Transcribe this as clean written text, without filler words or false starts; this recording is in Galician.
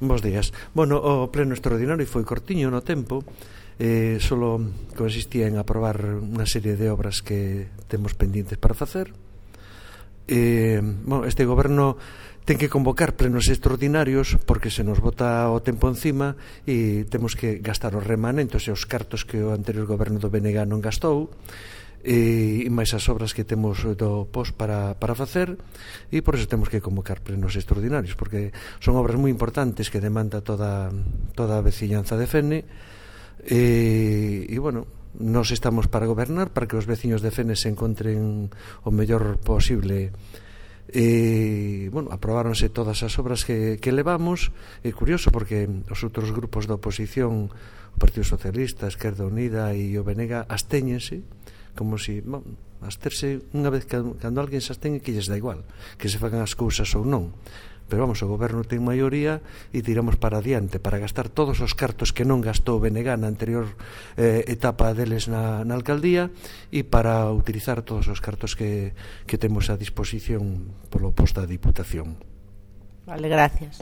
Bos días. Bueno, o pleno extraordinario foi cortiño no tempo, solo consistía en aprobar unha serie de obras que temos pendientes para facer. Bueno, este goberno ten que convocar plenos extraordinarios porque se nos bota o tempo encima e temos que gastar os remanentes e os cartos que o anterior goberno do BNG non gastou, e máis as obras que temos do POS para facer, e por eso temos que convocar plenos extraordinarios, porque son obras moi importantes que demanda toda a veciñanza de Fene, e bueno, nos estamos para gobernar, para que os veciños de Fene se encontren o mellor posible. Bueno, aprobáronse todas as obras que levamos. É curioso porque os outros grupos da oposición, o Partido Socialista, a Esquerda Unida e o BNG, abstéñense como si, absterse unha vez cando alguén se abstén, que lles dá igual que se fagan as cousas ou non, pero vamos, o goberno ten maioría e tiramos para adiante para gastar todos os cartos que non gastou o BNG na anterior etapa deles na alcaldía, e para utilizar todos os cartos que temos a disposición polo posto da Diputación. Vale, gracias.